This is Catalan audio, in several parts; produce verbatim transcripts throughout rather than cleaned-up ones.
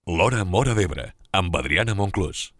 L'Hora Móra d'Ebre, amb Adriana Monclús.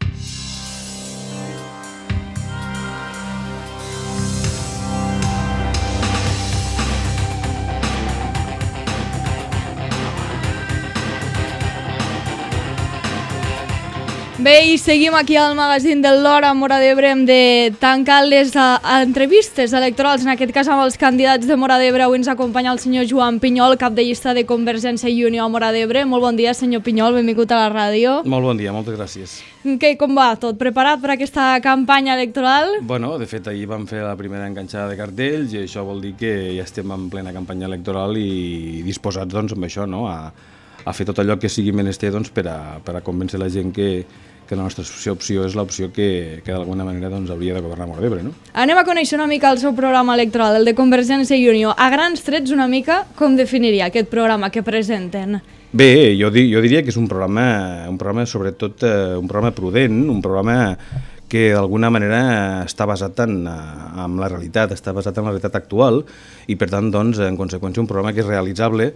Bé, i seguim aquí al magazín de l'Hora Móra d'Ebre. Hem de tancar les uh, entrevistes electorals, en aquest cas amb els candidats de Móra d'Ebre. Avui ens acompanya el senyor Joan Pinyol, cap de llista de Convergència i Unió a Móra d'Ebre. Molt bon dia, senyor Pinyol, benvingut a la ràdio. Molt bon dia, moltes gràcies. Què, com va tot? Preparat per aquesta campanya electoral? Bueno, de fet, ahir vam fer la primera enganxada de cartells i això vol dir que ja estem en plena campanya electoral i disposats, doncs, amb això, no?, a, a fer tot allò que sigui menester, doncs, per a, per a convèncer la gent que, que la nostra opció és l'opció que, que d'alguna manera doncs, hauria de governar Móra d'Ebre, no? Anem a conèixer una mica el seu programa electoral, el de Convergència i Unió. A grans trets, una mica, com definiria aquest programa que presenten? Bé, jo, di, jo diria que és un programa, un programa sobretot eh, un programa prudent, un programa que d'alguna manera està basat en, en la realitat, està basat en la realitat actual i per tant, doncs, en conseqüència, un programa que és realitzable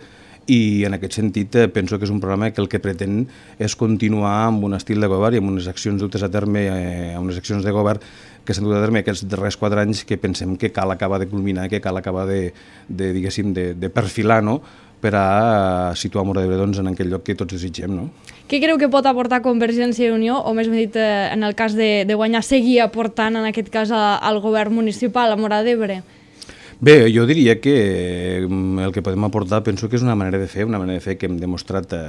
i en aquest sentit eh, penso que és un programa que el que pretén és continuar amb un estil de govern i amb unes accions dutes a terme, eh, amb unes accions de govern que s'han dut a terme aquests darrers quatre anys que pensem que cal acabar de culminar, que cal acabar de, de diguéssim, de, de perfilar, no?, per a situar Móra d'Ebre doncs, en aquell lloc que tots desitgem, no? Què creu que pot aportar Convergència i Unió, o més ben dit, eh, en el cas de, de guanyar, seguir aportant, en aquest cas, a, al govern municipal, a Móra d'Ebre? Bé, jo diria que el que podem aportar penso que és una manera de fer, una manera de fer que hem demostrat eh,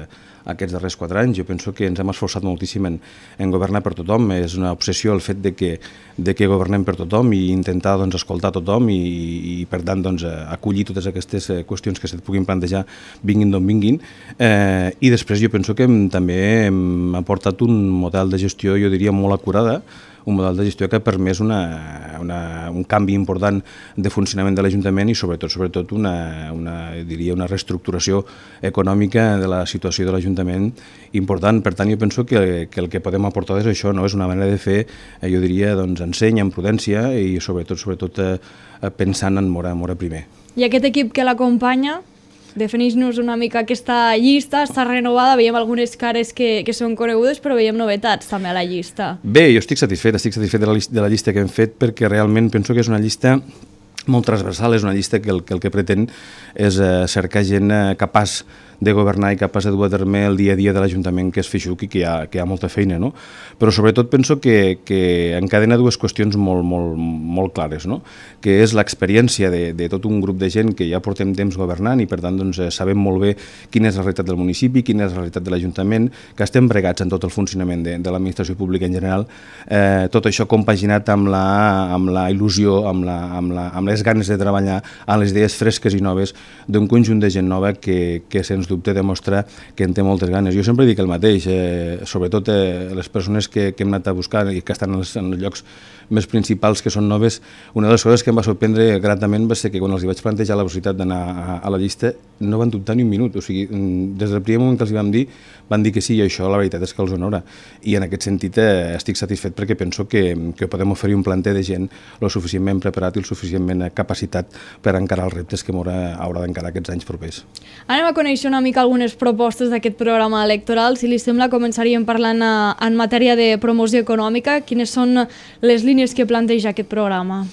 aquests darrers quatre anys. Jo penso que ens hem esforçat moltíssim en, en governar per tothom. És una obsessió el fet de que, de que governem per tothom i intentar doncs, escoltar tothom i, i per tant doncs, acollir totes aquestes qüestions que se't puguin plantejar vinguin d'on vinguin. Eh, I després jo penso que hem, també hem aportat un model de gestió, jo diria, molt acurada, un model de gestió que ha permès una, una, un canvi important de funcionament de l'Ajuntament i sobretot sobretot una, una, diria, una reestructuració econòmica de la situació de l'Ajuntament important. Per tant, jo penso que, que el que podem aportar és això, no? És una manera de fer, jo diria, doncs, enseny, amb prudència i sobretot sobretot eh, pensant en Móra, Móra primer. I aquest equip que l'acompanya? Defineix-nos una mica aquesta llista, està renovada, veiem algunes cares que, que són conegudes, però veiem novetats també a la llista. Bé, jo estic satisfet, estic satisfet de la, de la llista que hem fet perquè realment penso que és una llista molt transversal, és una llista que el que, el que pretén és eh, cercar gent eh, capaç de governar i capaç de dur a terme el dia a dia de l'Ajuntament, que és feixuc i que hi ha, que hi ha molta feina, no? Però sobretot penso que, que encadena dues qüestions molt, molt, molt clares, no? Que és l'experiència de, de tot un grup de gent que ja portem temps governant i per tant doncs, sabem molt bé quina és la realitat del municipi, quina és la realitat de l'Ajuntament, que estem bregats en tot el funcionament de, de l'administració pública en general, eh, tot això compaginat amb la, amb la il·lusió, amb, la, amb, la, amb les ganes de treballar, amb les idees fresques i noves d'un conjunt de gent nova que, que sens dubte demostra que en té moltes ganes. Jo sempre dic el mateix, eh, sobretot eh, les persones que, que hem anat a buscar i que estan en els, en els llocs més principals, que són noves, una de les coses que em va sorprendre gratament va ser que quan els vaig plantejar la possibilitat d'anar a, a la llista no van dubtar ni un minut, o sigui, des del primer moment que els vam dir, van dir que sí, i això la veritat és que els honora. I en aquest sentit eh, estic satisfet perquè penso que, que podem oferir un planter de gent lo suficientment preparat i el suficientment capacitat per encarar els reptes que Móra haurà d'encarar aquests anys propers. Anem a conèixer una mica algunes propostes d'aquest programa electoral. Si li sembla, començaríem parlant a, en matèria de promoció econòmica. Quines són les línies que planteja aquest programa?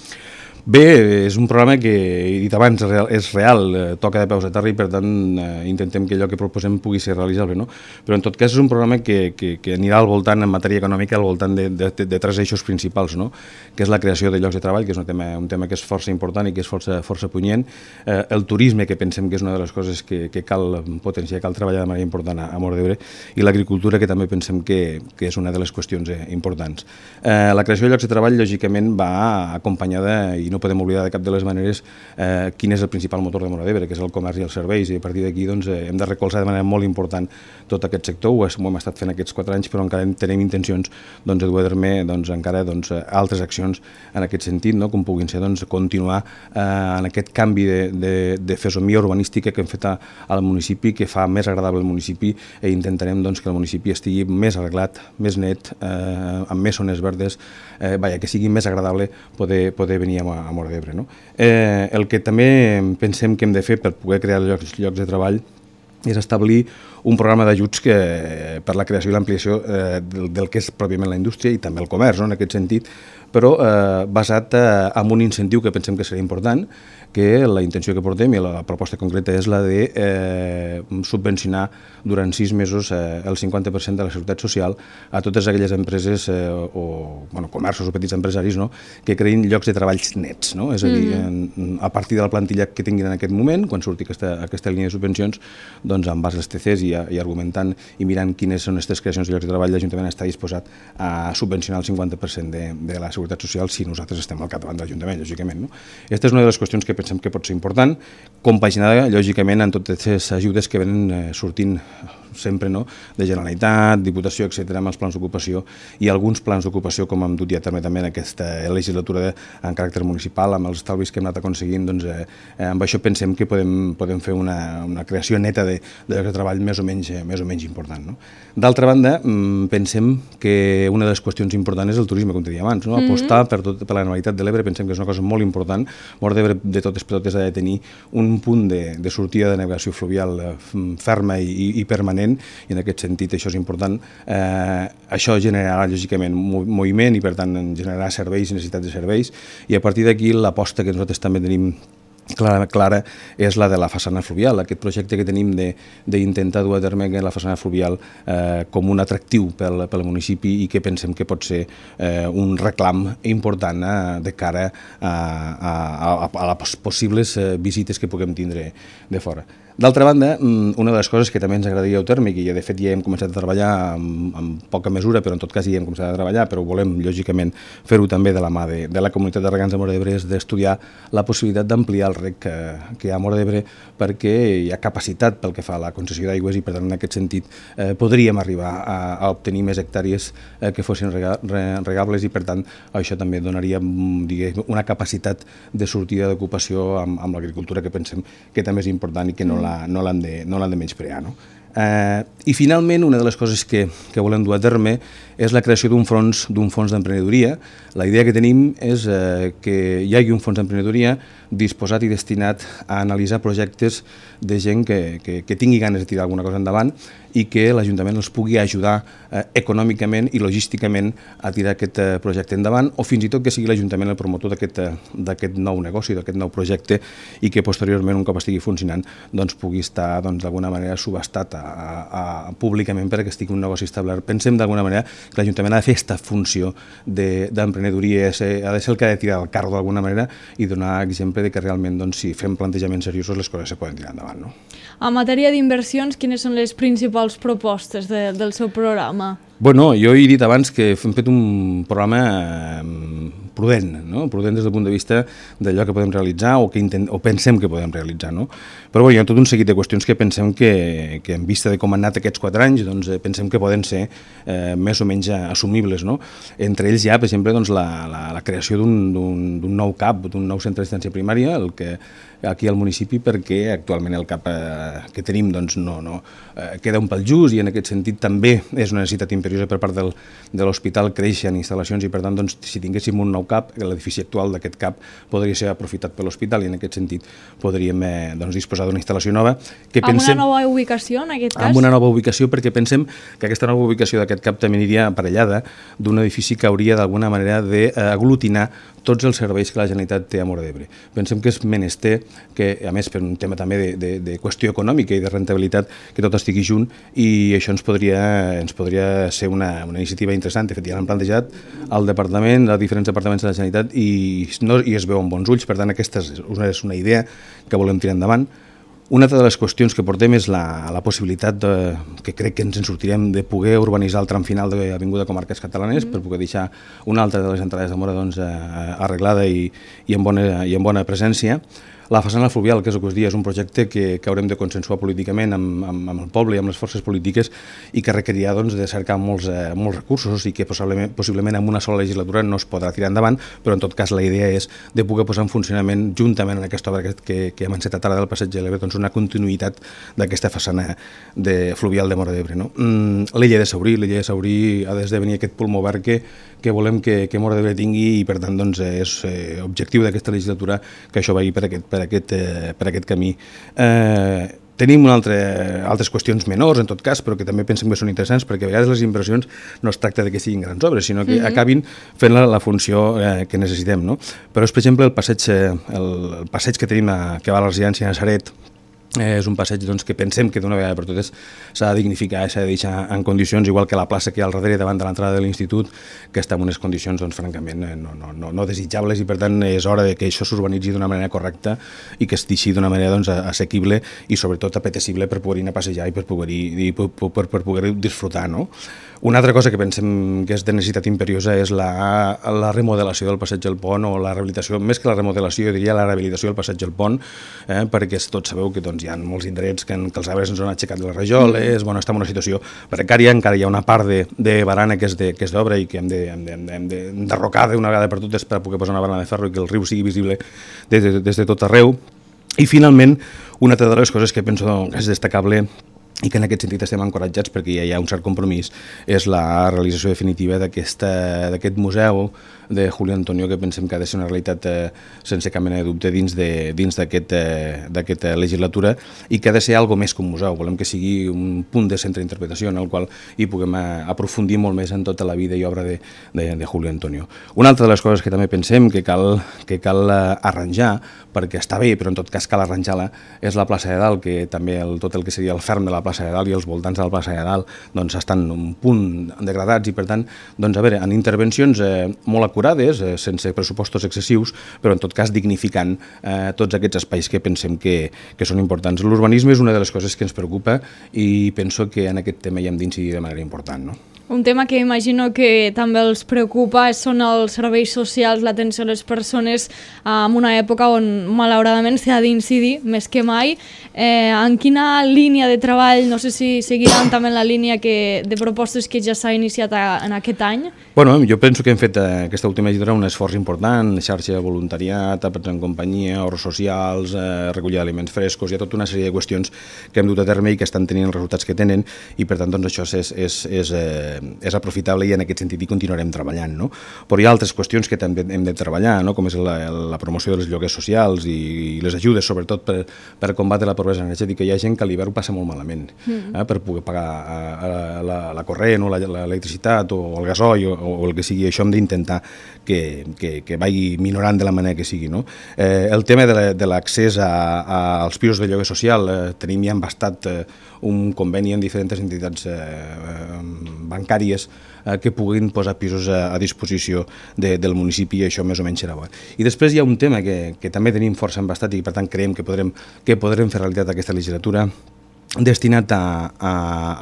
Bé, és un programa que, he dit abans, és real, eh, toca de peus a terra i per tant eh, intentem que allò que proposem pugui ser realitzable, no? Però en tot cas és un programa que, que, que anirà al voltant, en matèria econòmica, al voltant de, de, de, de tres eixos principals, no? Que és la creació de llocs de treball, que és un tema, un tema que és força important i que és força, força punyent, eh, el turisme, que pensem que és una de les coses que, que cal potenciar, cal treballar de manera important a, a Móra d'Ebre, i l'agricultura, que també pensem que, que és una de les qüestions eh, importants. Eh, la creació de llocs de treball, lògicament, va acompanyada, i no podem oblidar de cap de les maneres eh, quin és el principal motor de Móra d'Ebre, que és el comerç i els serveis, i a partir d'aquí doncs, eh, hem de recolzar de manera molt important tot aquest sector. Ho, és, ho hem estat fent aquests quatre anys, però encara tenim intencions doncs, de dur a terme doncs, encara doncs, altres accions en aquest sentit, no? Com puguin ser doncs, continuar eh, en aquest canvi de, de, de fesomia urbanística que hem fet a, al municipi, que fa més agradable el municipi, i intentarem doncs, que el municipi estigui més arreglat, més net, eh, amb més zones verdes, eh, vaja, que sigui més agradable poder, poder venir a, a Móra d'Ebre, no? Eh, el que també pensem que hem de fer per poder crear llocs, llocs de treball és establir un programa d'ajuts que, per la creació i l'ampliació eh, del, del que és pròpiament la indústria i també el comerç, no? En aquest sentit, però eh, basat eh, en un incentiu que pensem que seria important, que la intenció que portem i la proposta concreta és la de eh, subvencionar durant sis mesos eh, el cinquanta per cent de la seguretat social a totes aquelles empreses eh, o bueno, comerços o petits empresaris, no? Que creïn llocs de treballs nets, no? És a dir, mm-hmm. a partir de la plantilla que tinguin en aquest moment, quan surti aquesta, aquesta línia de subvencions, doncs amb base als T Cs i, i argumentant i mirant quines són aquestes creacions de llocs de treball, l'Ajuntament està disposat a subvencionar el cinquanta per cent de, de la seguretat social si nosaltres estem al capdavant de l'Ajuntament, lògicament, no? Aquesta és una de les qüestions que pensem que pot ser important, compaginada, lògicament, en totes les ajudes que venen eh, sortint sempre, no? De Generalitat, Diputació, etcètera, amb els plans d'ocupació i alguns plans d'ocupació, com hem dut ja també, també en aquesta legislatura de, en caràcter municipal, amb els estalvis que hem anat aconseguint, doncs eh, amb això pensem que podem, podem fer una, una creació neta de, de llocs de treball més o menys, eh, més o menys important, no? D'altra banda, pensem que una de les qüestions importants és el turisme, com te deia abans, no? Apostar per, tot, per la Generalitat de l'Ebre pensem que és una cosa molt important. Mort d'Ebre de totes per totes ha de tenir un punt de, de sortida de navegació fluvial eh, ferma i, i permanent, i en aquest sentit això és important. Eh, això generarà lògicament moviment i per tant generarà serveis i necessitats de serveis, i a partir d'aquí l'aposta que nosaltres també tenim clara, clara és la de la façana fluvial, aquest projecte que tenim d'intentar dur a terme la façana fluvial eh, com un atractiu pel, pel municipi i que pensem que pot ser eh, un reclam important eh, de cara a, a, a, a les possibles eh, visites que puguem tindre de fora. D'altra banda, una de les coses que també ens agradaria dur a terme, i que de fet ja hem començat a treballar amb, amb poca mesura, però en tot cas ja hem començat a treballar, però volem lògicament fer-ho també de la mà de, de la comunitat de regants de Móra d'Ebre, és d'estudiar la possibilitat d'ampliar el rec que, que hi ha a Móra d'Ebre, perquè hi ha capacitat pel que fa a la concessió d'aigües i per tant en aquest sentit eh, podríem arribar a, a obtenir més hectàrees eh, que fossin rega, re, regables, i per tant això també donaria diguem, una capacitat de sortida d'ocupació amb, amb l'agricultura, que pensem que també és important i que no la no l'han de, no l'han de menysprear, no? Eh, I finalment, una de les coses que, que volem dur a terme és la creació d'un fons d'un fons d'emprenedoria. La idea que tenim és eh, que hi hagi un fons d'emprenedoria disposat i destinat a analitzar projectes de gent que, que, que tingui ganes de tirar alguna cosa endavant i que l'Ajuntament els pugui ajudar eh, econòmicament i logísticament a tirar aquest eh, projecte endavant, o fins i tot que sigui l'Ajuntament el promotor d'aquest eh, nou negoci, d'aquest nou projecte, i que posteriorment, un cop estigui funcionant, doncs pugui estar doncs, d'alguna manera subhastat a, a, a, públicament perquè estigui un negoci establert. Pensem d'alguna manera que l'Ajuntament ha de fer aquesta funció d'emprenedoria, de, ha de ser el que ha de tirar el carro d'alguna manera i donar exemple de que realment doncs, si fem plantejaments seriosos les coses se poden tirar endavant, no? En matèria d'inversions, quines són les principals propostes de, del seu programa? Bueno, jo he dit abans que hem fet un programa eh, prudent, no? Prudent des del punt de vista d'allò que podem realitzar o que intent, o pensem que podem realitzar, no? Però bueno, hi ha tot un seguit de qüestions que pensem que, que en vista de com han anat aquests quatre anys, doncs pensem que poden ser eh, més o menys assumibles, no? Entre ells hi ha, per exemple, doncs, la, la, la creació d'un nou C A P, d'un nou centre d'assistència primària, el que aquí al municipi, perquè actualment el C A P eh, que tenim doncs, no, no, eh, queda un pel just, i en aquest sentit també és una necessitat imperiosa per part del, de l'hospital créixer en instal·lacions, i per tant doncs, si tinguéssim un nou C A P, l'edifici actual d'aquest C A P podria ser aprofitat per l'hospital, i en aquest sentit podríem eh, doncs, disposar d'una instal·lació nova. Que amb pensem, una nova ubicació en aquest cas? Amb una nova ubicació, perquè pensem que aquesta nova ubicació d'aquest C A P també aniria aparellada d'un edifici que hauria d'alguna manera d'aglutinar tots els serveis que la Generalitat té a Móra d'Ebre. Pensem que és menester que, a més per un tema també de, de, de qüestió econòmica i de rentabilitat, que tot estigui junt, i això ens podria, ens podria ser una, una iniciativa interessant. De fet, ja l'han plantejat al departament, als diferents departaments de la Generalitat, i, no, i es veu amb bons ulls. Per tant, aquesta és una, és una idea que volem tirar endavant. Una altra de les qüestions que portem és la, la possibilitat, de, que crec que ens en sortirem, de poder urbanitzar el tram final de l'Avinguda Comarques Catalanes, mm. per poder deixar una altra de les entrades de Móra doncs, arreglada i, i, en bona, i en bona presència. La façana fluvial, que és el que us dia, és un projecte que, que haurem de consensuar políticament amb, amb, amb el poble i amb les forces polítiques, i que requerirà doncs, de cercar molts, eh, molts recursos, i que possiblement, possiblement en una sola legislatura no es podrà tirar endavant, però en tot cas la idea és de poder posar en funcionament, juntament en aquesta obra que, que, que hem encetat ara del Passeig de l'Ebre, doncs una continuïtat d'aquesta façana de fluvial de Móra d'Ebre. No? Mm, l'illa de Saurí, l'illa de Saurí ha d'esdevenir aquest pulmó verd que, que volem que, que Móra d'Ebre tingui, i per tant doncs, és eh, objectiu d'aquesta legislatura que això vagi per aquest, per aquest, eh, per aquest camí. Eh, tenim una altre, altres qüestions menors, en tot cas, però que també pensem que són interessants, perquè a vegades les inversions no es tracta de que siguin grans obres, sinó que mm-hmm. acabin fent la, la funció eh, que necessitem, no? Però és, per exemple, el passeig, el, el passeig que tenim a, que va a la residència de Nazaret. Eh, és un passeig doncs, que pensem que d'una vegada per totes s'ha de dignificar i s'ha de deixar en condicions, igual que la plaça que hi ha al darrere davant de l'entrada de l'institut, que està en unes condicions doncs, francament eh, no, no, no, no desitjables, i per tant és hora de que això s'urbanitzi d'una manera correcta i que estigui d'una manera doncs, assequible i sobretot apetecible per poder anar a passejar i per poder-hi per, per, per poder disfrutar, no? Una altra cosa que pensem que és de necessitat imperiosa és la, la remodelació del passeig del Pont, o la rehabilitació, més que la remodelació, jo diria la rehabilitació del passeig del Pont, eh, perquè tots sabeu que doncs, hi ha molts indrets que, que els arbres ens han aixecat les rajoles, bueno, estem en una situació precària, encara hi ha una part de, de barana que és d'obra i que hem d'enderrocar de, d'una vegada per totes per poder posar una barana de ferro i que el riu sigui visible des de, des de tot arreu. I finalment, una altra de les coses que penso que és destacable i que en aquest sentit estem encoratjats perquè ja hi ha un cert compromís, és la realització definitiva d'aquest museu de Julio Antonio, que pensem que ha de ser una realitat eh, sense cap mena de dubte dins d'aquesta eh, legislatura, i que ha de ser algo més que un museu. Volem que sigui un punt de centre d'interpretació en el qual hi puguem eh, aprofundir molt més en tota la vida i obra de, de, de Julio Antonio. Una altra de les coses que també pensem que cal, que cal eh, arranjar, perquè està bé, però en tot cas cal arranjar-la, és la plaça de Dalt, que també el, tot el que seria el ferm de la plaça de Dalt i els voltants de la plaça de Dalt doncs, estan un punt degradats, i per tant, doncs, a veure, en intervencions eh, molt acurades, eh, sense pressupostos excessius, però en tot cas dignificant eh, tots aquests espais que pensem que, que són importants. L'urbanisme és una de les coses que ens preocupa i penso que en aquest tema hi hem d'incidir de manera important, no? Un tema que imagino que també els preocupa són els serveis socials, l'atenció a les persones, en una època on malauradament s'ha d'incidir més que mai. Eh, en quina línia de treball, no sé si seguiran també en la línia que, de propostes que ja s'ha iniciat a, en aquest any? Bueno, jo penso que hem fet eh, aquesta última legislatura un esforç important, xarxa de voluntariat, àpats en companyia, ahorros socials, eh, recollir aliments frescos, hi ha tota una sèrie de qüestions que hem dut a terme i que estan tenint els resultats que tenen, i per tant doncs, això és, és, és, eh, és aprofitable i en aquest sentit hi continuarem treballant, no? Però hi ha altres qüestions que també hem de treballar, no? Com és la, la promoció dels lloguers socials i, i les ajudes, sobretot per, per combatre la pobresa energètica. Hi ha gent que a l'hivern ho passa molt malament, mm. eh? per poder pagar a, a, la, la corrent o l'electricitat o el gasoil o, o el que sigui. Això hem d'intentar que, que, que vagi minorant de la manera que sigui, no? Eh, el tema de l'accés als pisos de lloguer social, eh, tenim ja embastat eh, un conveni en diferents entitats eh, bancàries eh, que puguin posar pisos a, a disposició de, del municipi, i això més o menys serà bo. I després hi ha un tema que, que també tenim força embastat i per tant creiem que podrem, que podrem fer realitat aquesta legislatura, destinat a, a,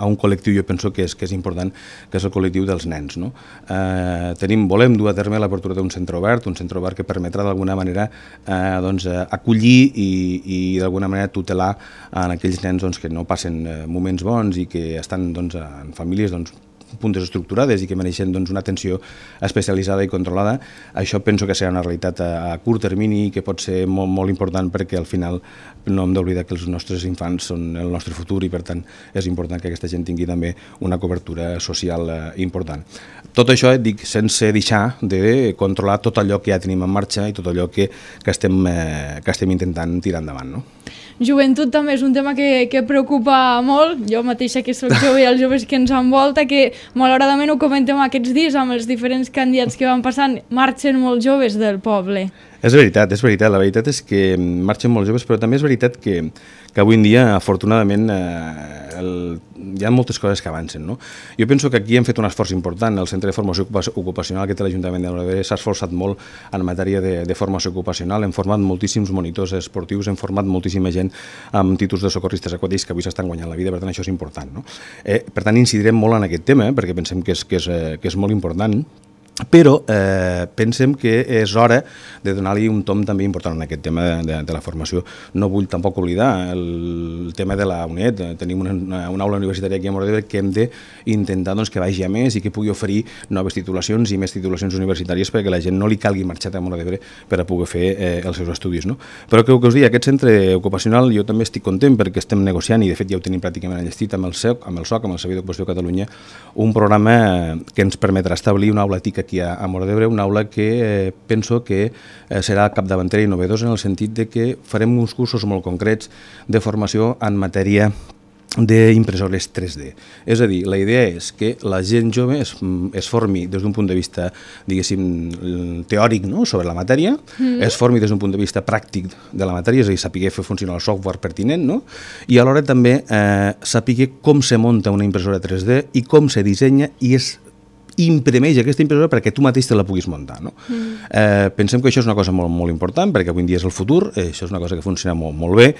a un col·lectiu, jo penso que és, que és important, que és el col·lectiu dels nens, no? Eh, tenim, volem dur a terme l'apertura d'un centre obert, un centre obert que permetrà d'alguna manera eh, doncs, acollir i, i d'alguna manera tutelar en aquells nens doncs, que no passen moments bons i que estan doncs, en famílies doncs, puntes estructurades i que mereixen doncs, una atenció especialitzada i controlada. Això penso que serà una realitat a, a curt termini i que pot ser molt, molt important, perquè al final no hem d'oblidar que els nostres infants són el nostre futur i per tant és important que aquesta gent tingui també una cobertura social eh, important. Tot això et dic sense deixar de controlar tot allò que ja tenim en marxa i tot allò que, que, estem, eh, que estem intentant tirar endavant, no? Joventut també és un tema que, que preocupa molt, jo mateixa que soc jove i els joves que ens envolta, que malauradament ho comentem aquests dies amb els diferents candidats que van passant, marxen molt joves del poble. És veritat, és veritat, la veritat és que marxen molt joves, però també és veritat que, que avui en dia, afortunadament, eh, el, hi ha moltes coses que avancen, no? Jo penso que aquí hem fet un esforç important, el Centre de Formació Ocupacional que té l'Ajuntament de Móra d'Ebre s'ha esforçat molt en matèria de, de formació ocupacional, hem format moltíssims monitors esportius, hem format moltíssima gent amb títols de socorristes aquàtics que avui s'estan guanyant la vida, per tant això és important, no? Eh, per tant incidirem molt en aquest tema, perquè pensem que és, que és, que és molt important, però eh, pensem que és hora de donar-li un tom també important en aquest tema de, de, de la formació. No vull tampoc oblidar el, el tema de la UNED. Tenim una, una aula universitària aquí a Móra d'Ebre que hem d'intentar doncs, que vagi a més i que pugui oferir noves titulacions i més titulacions universitàries perquè la gent no li calgui marxar a Móra d'Ebre per a poder fer eh, els seus estudis, no? Però que, que us digui, aquest centre ocupacional jo també estic content perquè estem negociant, i de fet ja ho tenim pràcticament enllestit amb el S E C, amb el S O C, amb el Servei d'Ocupació de Catalunya, un programa que ens permetrà establir una aula TIC aquí a, a Móra d'Ebre, una aula que eh, penso que eh, serà capdavantera i innovadora en el sentit de que farem uns cursos molt concrets de formació en matèria d'impressores tres D. És a dir, la idea és que la gent jove es, es formi des d'un punt de vista, diguéssim, teòric, no?, sobre la matèria, mm. es formi des d'un punt de vista pràctic de la matèria, és a dir, sapiguer fer funcionar el software pertinent, no?, i alhora també eh, sapiguer com se munta una impressora tres D i com se dissenya i es imprimeix aquesta impressora perquè tu mateix te la puguis muntar. No? Mm. Eh, pensem que això és una cosa molt, molt important perquè avui en dia és el futur, eh, això és una cosa que funciona molt, molt bé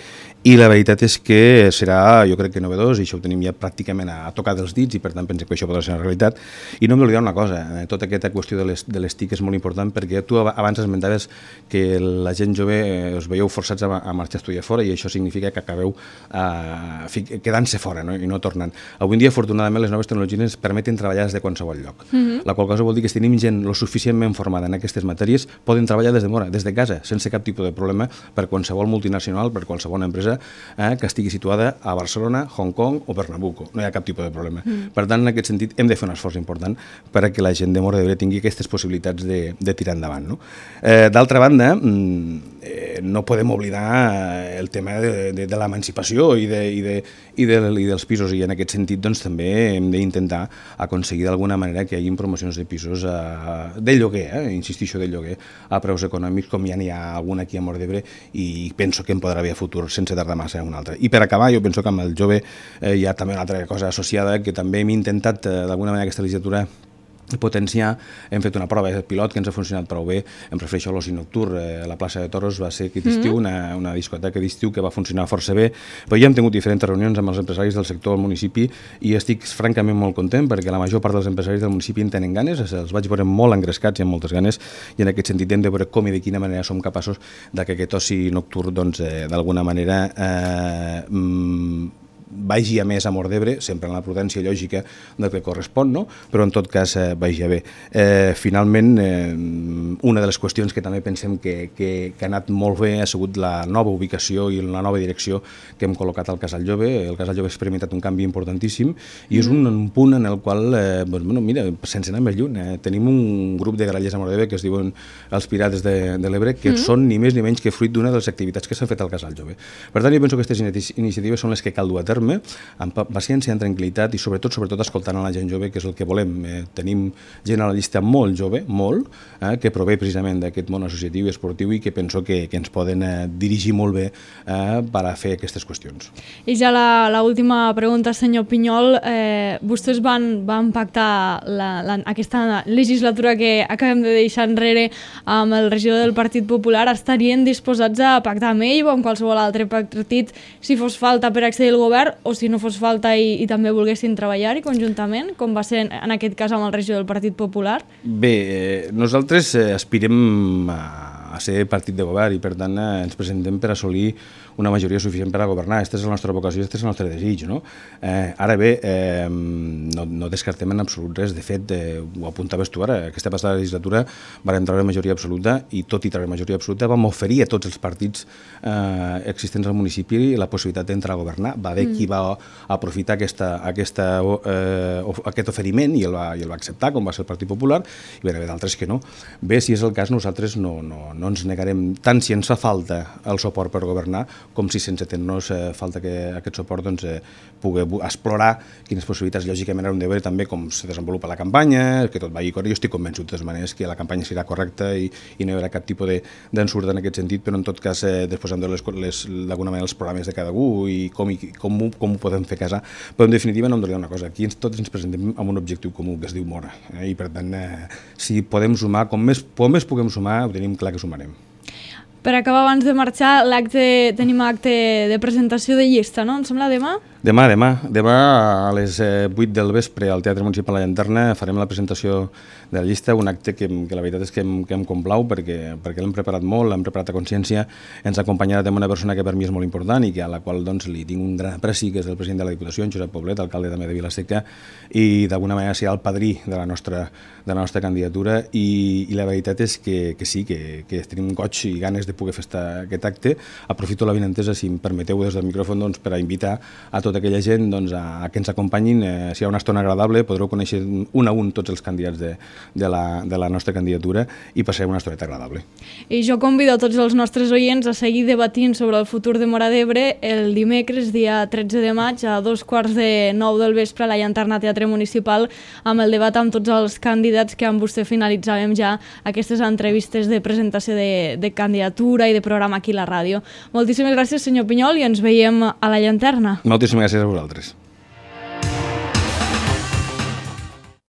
i la veritat és que serà, jo crec que novedós i això ho tenim ja pràcticament a, a tocar dels dits i per tant pensem que això podrà ser una realitat. I no m'oblidar una cosa, eh, tota aquesta qüestió de les, de les TIC és molt important perquè tu abans esmentaves que la gent jove eh, us veieu forçats a, a marxar a estudiar fora i això significa que acabeu eh, quedant-se fora, no? I no tornant. Avui en dia, afortunadament, les noves tecnologies ens permeten treballar des de qualsevol lloc. Mm-hmm. La qual cosa vol dir que si tenim gent lo suficientment formada en aquestes matèries, poden treballar des de Móra, des de casa, sense cap tipus de problema per qualsevol multinacional, per qualsevol empresa eh, que estigui situada a Barcelona, Hong Kong o Pernambuco. No hi ha cap tipus de problema. Mm. Per tant, en aquest sentit, hem de fer un esforç important perquè la gent de Móra d'Ebre tingui aquestes possibilitats de, de tirar endavant. No? Eh, D'altra banda, eh, no podem oblidar el tema de, de, de l'emancipació i, de, i, de, i, de, i dels pisos, i en aquest sentit doncs, també hem d'intentar aconseguir d'alguna manera que hi hagi promocions de pisos eh, de lloguer, eh, insistixo, de lloguer a preus econòmics, com ja n'hi ha algun aquí a Móra d'Ebre, i penso que en podrà haver futur sense tardar massa en un altre. I per acabar, jo penso que amb el jove eh, hi ha també una altra cosa associada, que també hem intentat eh, d'alguna manera aquesta legislatura potenciar. Hem fet una prova de pilot que ens ha funcionat prou bé. Em refereixo a l'oci nocturn. Eh, la plaça de Toros va ser aquest estiu, mm-hmm. una, una discoteca d'estiu que va funcionar força bé, però ja hem tingut diferents reunions amb els empresaris del sector del municipi i estic francament molt content perquè la major part dels empresaris del municipi en tenen ganes, els vaig veure molt engrescats i amb moltes ganes, i en aquest sentit hem de veure com i de quina manera som capaços de que aquest oci nocturn doncs, eh, d'alguna manera eh, mm, vagi a més a Móra d'Ebre, sempre en la prudència lògica del que correspon, no? Però en tot cas eh, vagi a bé. Eh, finalment, eh, una de les qüestions que també pensem que, que, que ha anat molt bé ha sigut la nova ubicació i la nova direcció que hem col·locat al Casal Jove. El Casal Jove ha experimentat un canvi importantíssim i és un, un punt en el qual, eh, doncs, bueno, mira, sense anar més lluny, eh, tenim un grup de grallers a Móra d'Ebre que es diuen els Pirates de, de l'Ebre, que mm. són ni més ni menys que fruit d'una de les activitats que s'han fet al Casal Jove. Per tant, jo penso que aquestes iniciatives són les que cal dur a terme amb paciència, amb tranquil·litat i sobretot sobretot escoltant a la gent jove, que és el que volem. Eh, tenim gent a la llista molt jove, molt, eh, que prové precisament d'aquest món associatiu i esportiu i que penso que, que ens poden eh, dirigir molt bé eh, per a fer aquestes qüestions. I ja l'última pregunta, senyor Pinyol. Eh, vostès van, van pactar la, la, aquesta legislatura que acabem de deixar enrere amb el regidor del Partit Popular. Estarien disposats a pactar amb ell o amb qualsevol altre partit si fos falta per accedir al govern, o si no fos falta i, i també volguessin treballar-hi conjuntament, com va ser en aquest cas amb el regidor del Partit Popular? Bé, eh, nosaltres eh, aspirem a, a ser partit de govern i per tant eh, ens presentem per assolir una majoria suficient per a governar. Aquesta és la nostra vocació, aquest és el nostre desig. No? Eh, ara bé, eh, no, no descartem en absolut res. De fet, eh, ho apuntaves tu ara, aquesta passada legislatura vam treure majoria absoluta i tot i treure majoria absoluta vam oferir a tots els partits eh, existents al municipi la possibilitat d'entrar a governar. Va haver mm. qui va aprofitar aquesta, aquesta, eh, aquest oferiment i el, va, i el va acceptar, com va ser el Partit Popular, i va haver d'altres que no. Bé, si és el cas, nosaltres no, no, no ens negarem, tant si ens fa falta el suport per governar, com si sense tenir-nos eh, falta que aquest suport doncs, eh, pugui explorar quines possibilitats lògicament haurem de veure també com se desenvolupa la campanya, que tot vagi correcte. Jo estic convençut de totes maneres que la campanya serà correcta i, i no hi haurà cap tipus d'ensurt en aquest sentit, però en tot cas eh, després hem de d'alguna manera els programes de cada un i com, i com, ho, com ho podem fer casar. Però en definitiva no em donaria una cosa, aquí ens, tots ens presentem amb un objectiu comú que es diu Móra, eh, i per tant eh, si podem sumar, com més, com més puguem sumar, ho tenim clar que sumarem. Per acabar, abans de marxar, l'acte tenim acte de presentació de llista, no? Em sembla demà? Demà, demà. Demà a les vuit del vespre al Teatre Municipal La Llanterna farem la presentació de la llista, un acte que, que la veritat és que em, que em complau perquè, perquè l'hem preparat molt, l'hem preparat a consciència, ens ha acompanyat amb una persona que per mi és molt important i que a la qual doncs, li tinc un gran apreci, que és el president de la Diputació, en Josep Poblet, alcalde també de Vila-seca, i d'alguna manera serà el padrí de la nostra, de la nostra candidatura i, i la veritat és que, que sí, que, que tenim goig i ganes de poder fer esta, aquest acte. Aprofito la benentesa, si em permeteu des del micròfon, doncs, per a invitar a tota tota aquella gent doncs, a, a que ens acompanyin. Eh, si hi ha una estona agradable, podreu conèixer un a un tots els candidats de, de, la, de la nostra candidatura i passarem una estoneta agradable. I jo convido a tots els nostres oients a seguir debatint sobre el futur de Móra d'Ebre el dimecres, dia tretze de maig, a dos quarts de nou del vespre a la Llanterna Teatre Municipal, amb el debat amb tots els candidats que amb vostè finalitzàvem ja aquestes entrevistes de presentació de, de candidatura i de programa aquí a la ràdio. Moltíssimes gràcies, senyor Pinyol, i ens veiem a la Llanterna. Moltíssimes gràcies a vosaltres.